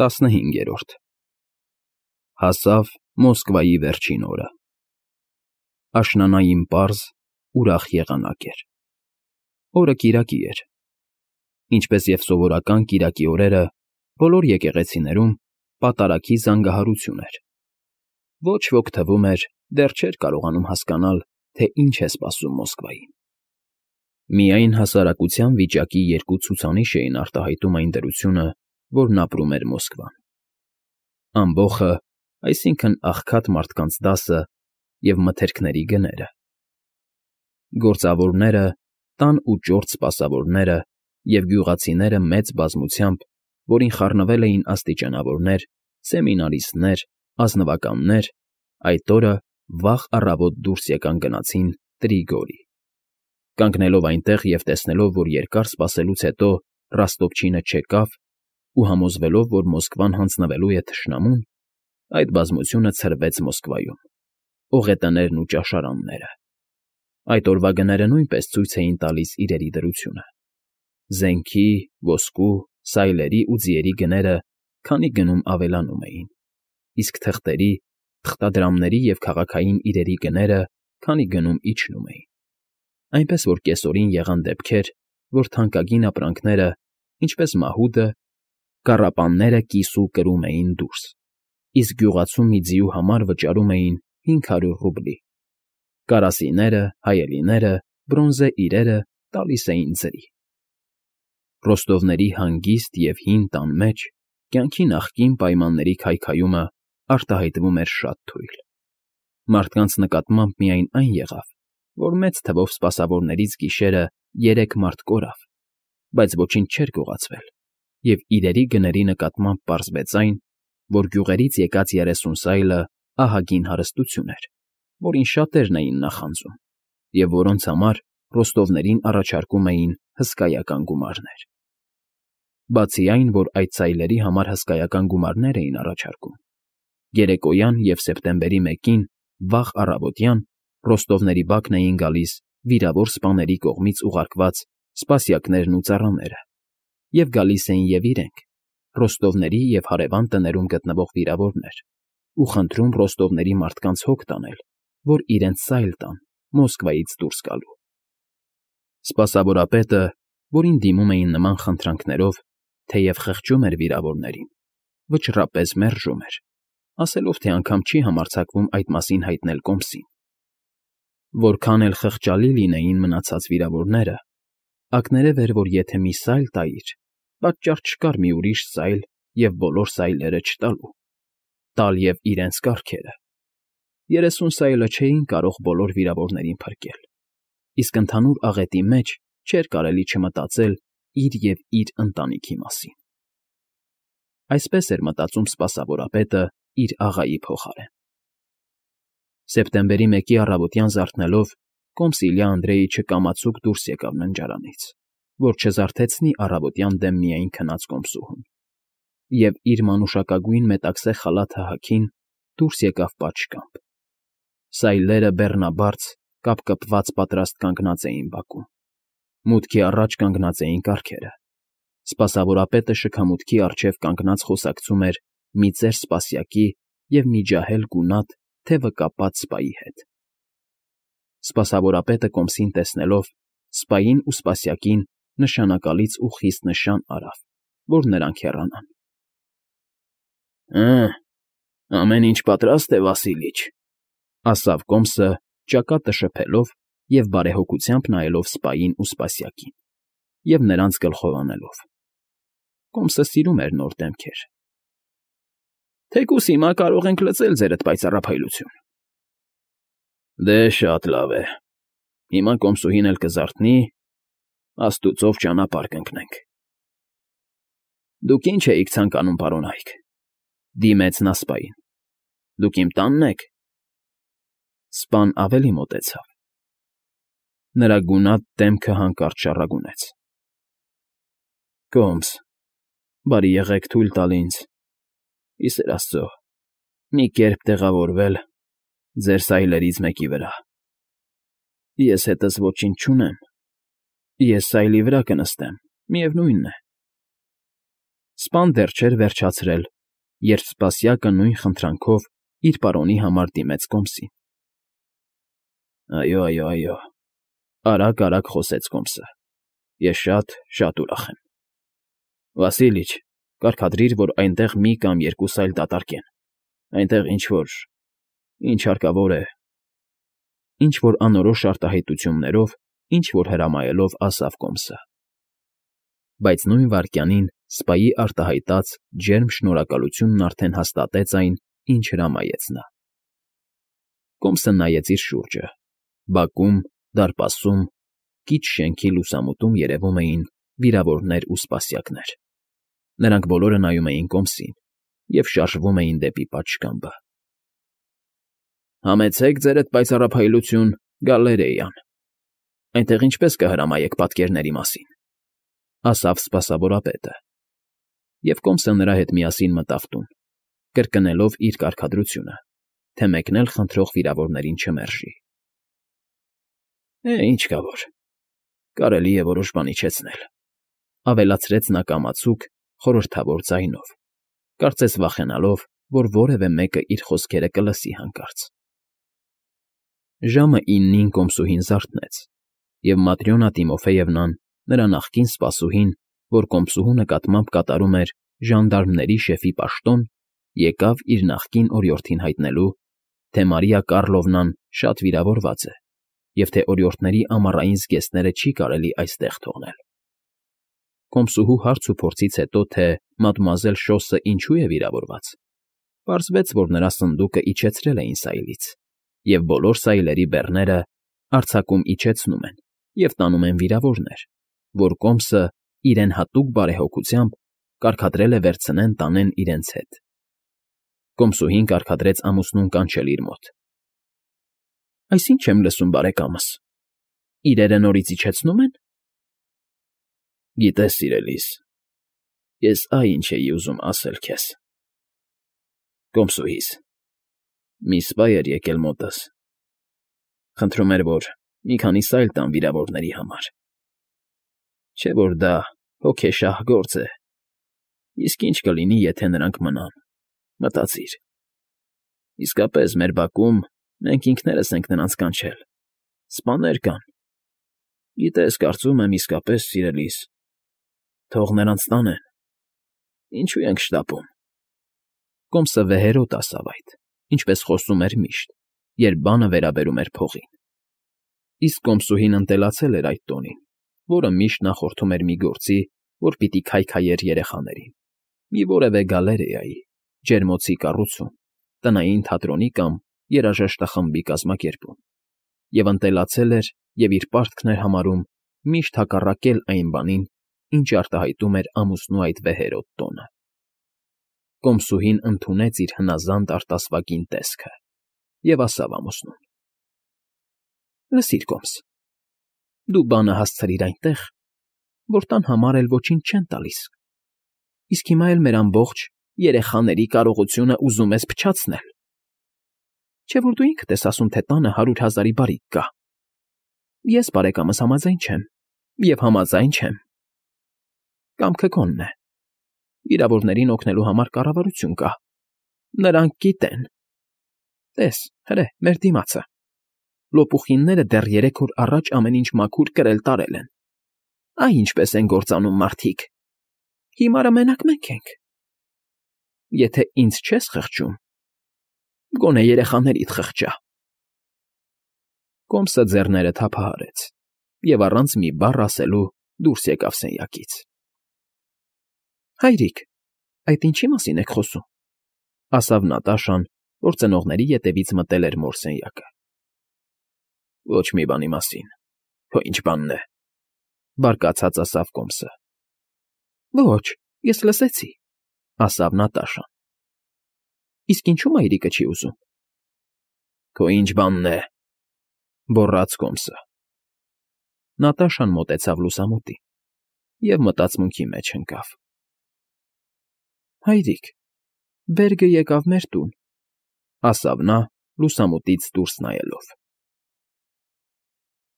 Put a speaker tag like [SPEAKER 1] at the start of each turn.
[SPEAKER 1] 15 Հասավ Մոսկվայի վերջին օրը։ Աշնանային պարզ, ուրախ եղանակ էր։ Օրը կիրակի էր։ Ինչպես և սովորական կիրակի օրերը, բոլոր եկեղեցիներում պատարագի զանգահարություն էր։ Ոչ ոք, թվում էր, դեռ չէր կարողանում հասկանալ, թե ինչ է սպասում Մոսկվային։ Միայն հասարակության վիճակի երկու ցուցանիշ էին արտահայտում այն դրությունը, որն ապրում էր Մոսկվան. ամբոխը, այսինքն աղքատ մարդկանց դասը և մթերքների գները։ Գործավորները, տան ու ճորտ սպասավորները և գյուղացիները մեծ բազմությամբ, որին խառնվել էին աստիճանավորներ, սեմինարիստներ, ազնվականներ, այդ օրը վաղ առավոտ դուրս եկան գնացին Տրիգորի։ Կանգնելով այնտեղ և տեսնելով, որ երկար սպասելուց հետո Ռոստովչինը չեկավ, ու համոզվելով, որ Մոսկվան հանձնվելու է թշնամուն, այդ բազմությունը ցրվեց Մոսկվայում, օղետներն ու ճաշարանները։ Այդ օրվա գները նույնպես ցույց էին տալիս իրերի դրությունը։ Զենքի, ոսկու, սայլերի ու ձիերի գները քանի գնում ավելանում էին, իսկ թղթերի, թղթադրամների և քաղաքային իրերի գները քանի գնում իջնում էին։ Այնպես որ կեսօրին եղան դեպքեր, որ թանկագին ապրանքները, ինչպես մահուդը, կառապանները կիսու կրում էին դուրս, իսկ գյուղացու մի ձիու համար վճարում էին 500 ռուբլի։ Կարասիները, հայելիները, բրոնզե իրերը տալիս էին ձրի։ Ռոստովների հանգիստ և հին տան մեջ կյանքի նախկին պայմանների քայքայումը արտահայտվում էր շատ թույլ։ Մարդկանց նկատմամբ միայն այն եղավ, որ մեծ թվով սպասավորներից գիշերը 3 մարդ կորավ, բայց ոչինչ չէր գողացվել, և իրերի գների նկատմամբ պարզվեց այն, որ գյուղերից եկած 30 սայլը ահագին հարստություն էր, որին շատերն էին նախանձում, և որոնց համար ռոստովներին առաջարկում էին հսկայական գումարներ։ Բացի այն, որ այդ սայլերի համար հսկայական գումարներ էին առաջարկում, երեկոյան և սեպտեմբերի 1-ին վաղ առավոտյան ռոստովների բակն էին գալիս վիրավոր սպաների կողմից ուղարկված սպասյակներն ու ծառաները, և գալիս էին և իրենք, ռոստովների և հարևան տներում գտնվող վիրավորներ, ու խնդրում ռոստովների մարդկանց հոգ տանել, որ իրենց սայլ տան Մոսկվայից դուրս գալու։ Սպասավորապետը, որին դիմում էին նման խնդրանքներով, թեև խղճում էր վիրավորներին, վճռապես մերժում էր, ասելով, թե անգամ չի համարձակվում այդ մասին հայտնել կոմսին։ Որքան էլ խղճալի լինեին մնացած վիրավորները, ակներև էր, որ եթե մի սայլ տայիր, պատճառ չկար մի ուրիշ սայլ և բոլոր սայլերը չտալու, տալ և իրենց կառքերը։ 30 սայլը չէին կարող բոլոր վիրավորներին փրկել, իսկ ընդհանուր աղետի մեջ չէր կարելի չմտածել իր և իր ընտանիքի մասին։ Այսպես էր մտածում սպասավորապետը իր աղայի փոխարեն։ Սեպտեմբերի 1-ի առավոտյան զարթնելով, կոմս Իլյա Անդրեիչը կամացուկ դուրս եկավ ննջարանից, որ չզարթեցնի առավոտյան դեմ միայն քնած կոմսուհուն, և իր մանուշակագույն մետաքսե խալաթը հագին դուրս եկավ պատշգամբ։ Սայլերը բեռնաբարց, կապկպված պատրաստ կանգնած էին բակում, մուտքի առաջ կանգնած էին կառքերը։ Սպասավորապետը շքամուտքի առջև կանգնած խոսակցում էր մի ծեր սպասյակի և մի ջահել գունատ, թևը կապած սպայի հետ։ Սպասավորապետը կոմսին տեսնելով, սպային ու սպասյակին նշանակալից ու խիստ նշան արավ, որ նրանք հեռանան։ Ամեն ինչ պատրաստ է, Վասիլիչ, ասավ կոմսը, ճակատը շփելով և բարեհոգությամբ նայելով սպային ու սպասյակին, և նրանց գլխով անելով։ Կոմսը սիրում էր նոր դեմքեր։ Թեկուզ հիմա կարող ենք լծել ձերդ պայծառափայլություն։ Դե շատ լավ է, հիմա կոմսուհին էլ կզարթնի, աստուծով ճանապարհ կընկնենք։ Դուք ինչ էիք ցանկանում, պարոն Այք,֊ դիմեց նա սպային։ Դուք իմ տա՞նն եք։ Սպան ավելի մոտեցավ։ Նրա գունատ դեմքը հանկարծ շառագունեց։ Կոմս, բարի եղեք թույլ տալ ինձ, ի սեր աստծո, մի կերպ տեղավորվել ձեր սայլերից մեկի վրա։ Ես հետս ոչինչ չունեմ, ես սայլի վրա կնստեմ, միևնույն է։ Սպան դեռ չէր վերջացրել, երբ սպասյակը նույն խնդրանքով իր պարոնի համար դիմեց Կոմսին։ Այո, արագ խոսեց Կոմսը։ Ես շատ ուրախ եմ։ Վասիլիչ, կարգադրիր, որ այնտեղ մի կամ երկուս այլ դատարկեն։ Այնտեղ ինչ հարկավոր է։ Ինչ-որ անորոշ արտահայտություններով, ինչ-որ հրամայելով ասավ Կոմսը։ Բայց նույն վայրկյանին սպայի արտահայտած ջերմ շնորհակալությունն արդեն հաստատեց այն, ինչ հրամայեց նա։ Կոմսը նայեց իր շուրջը։ Բակում, դարպասում, քիչ շենքի լուսամուտում երևում էին վիրավորներ ու սպասյակներ։ Նրանք բոլորը նայում էին Կոմսին և շարժվում էին դեպի պատշգամբը։ Համեցեք ձերդ պայծառափայլություն գալերեյան։ Այնտեղ ինչպես կհրամայեք պատկերների մասին, ասավ սպասավորապետը։ Եվ Կոմսը նրա հետ միասին մտավ տուն, կրկնելով իր կարգադրությունը, թե մեկն էլ խնդրող վիրավորներին չմերժի։ Ինչ կա որ, կարելի է որոշ բան իջեցնել, ավելացրեց նա կամացուկ, խորհրդավոր ձայնով, կարծես վախենալով, որ որևէ մեկը իր խոսքերը կլսի հանկարծ։ Ժամը 9-ին Կոմսուհին զարթնեց, և Маտրյոնա Տիմոֆեևնան, նրա նախկին սպասուհին, որ Կոմսուհու նկատմամբ կատարում էր ժանդարմների շեֆի պաշտոն, եկավ իր նախկին օրիորդին հայտնելու, թե Մարիա Կառլովնան շատ վիրավորված է և թե օրիորդների ամառային զգեստները չի կարելի այստեղ թողնել։ Կոմսուհու հարց ու փորձից հետո, թե մադմուազել Շոսը ինչու է վիրավորված, պարզվեց, որ նրա սնդուկը իջեցրել էին սայլից, և բոլոր սայլերի բեռները արձակում իջեցնում են և տանում են վիրավորներ, որ Կոմսը իրեն հատուկ բարեհոգությամբ կարգադրել է վերցնեն տանեն իրենց հետ։ Կոմսուհին կարգադրեց ամուսնուն կանչել իր մոտ։ Այսինչ եմ լսում, բարեկամս, իրերը նորից իջեցնու՞մ են։ Գիտես, սիրելիս, ես ինչ էի ուզում ասել քեզ։ Կոմսուհիս, մի սպա էր եկել մոտս, խնդրում էր, որ մի քանի սայլ տամ վիրավորների համար։ Չէ՞ որ դա հոգեշահ գործ է, իսկ ինչ կլինի, եթե նրանք մնան, մտածիր։ Իսկապես, մեր բակում մենք ինքներս ենք նրանց կանչել, սպաներ կան։ Գիտես, կարծում եմ, իսկապես, սիրելիս, թող նրանց տանեն, ինչու ենք շտապում։ Կոմսը վեհերոտ ասավ այդ, ինչպես խոսում էր միշտ, երբ բանը վերաբերում էր փողին։ Իսկ Կոմսուհին ընտելացել էր այդ տոնին, որը միշտ նախորդում էր մի գործի, որ պիտի քայքայեր երեխաներին, մի որևէ գալերեայի, ջերմոցի կառուցում, տնային թատրոնի կամ երաժշտախմբի կազմակերպում, և ընտելացել էր և իր պարտքն էր համարում միշտ հակառակել այն բանին, ինչ արտահայտում էր ամուսնու այդ վեհերոտ տոնը։ Կոմսուհին ընդունեց իր հնազանդ արտասվակին տեսքը և ասավ ամուսնուն. Լսիր, Կոմս, դու բանը հասցրիր այնտեղ, որ տան համար էլ ոչինչ չեն տալիս, իսկ հիմա էլ մեր ամբողջ երեխաների կարողությունը ուզում ես փչացնել։ Չէ՞ որ դու ինքդ ես ասում, թե տանը 100,000-ի բարիք կա։ Ես, բարեկամս, համաձայն չեմ, և համաձայն չեմ։ Կամքը քոնն է։ Վիրավորներին օգնելու համար կառավարություն կա։ Նրանք գիտեն։ Տես, հրե, մեր դիմացը։ Լոպուխինները դեռ 3 օր առաջ ամեն ինչ մաքուր կրել֊տարել են։ Այ ինչպես են գործանում մարդիկ։ Հիմարը մենակ մենք ենք։ Եթե ինձ չես խղճում, գոնե երեխաներիդ խղճա։ Կոմսը ձեռները թափահարեց և առանց մի բառ ասելու դուրս եկավ սենյակից։ Հայրիկ, այդ ինչի մասին եք խոսում, ասավ Նատաշան, որ ծնողների ետևից մտել էր մոր սենյակը։ Ոչ մի բանի մասին, քո ինչ բանն է, բարկացած ասավ Կոմսը։ Ոչ, ես լսեցի, ասավ Նատաշան։ Իսկ ինչու մայրիկը չի ուզում։ Քո ինչ բանն է, գոռաց Կոմսը։ Նատաշան մոտեցավ լուսամուտին և մտածմունքի մեջ ընկավ։ Հայրիկ, Բերգը եկավ մեր տուն, ասավ նա, լուսամուտից դուրս նայելով։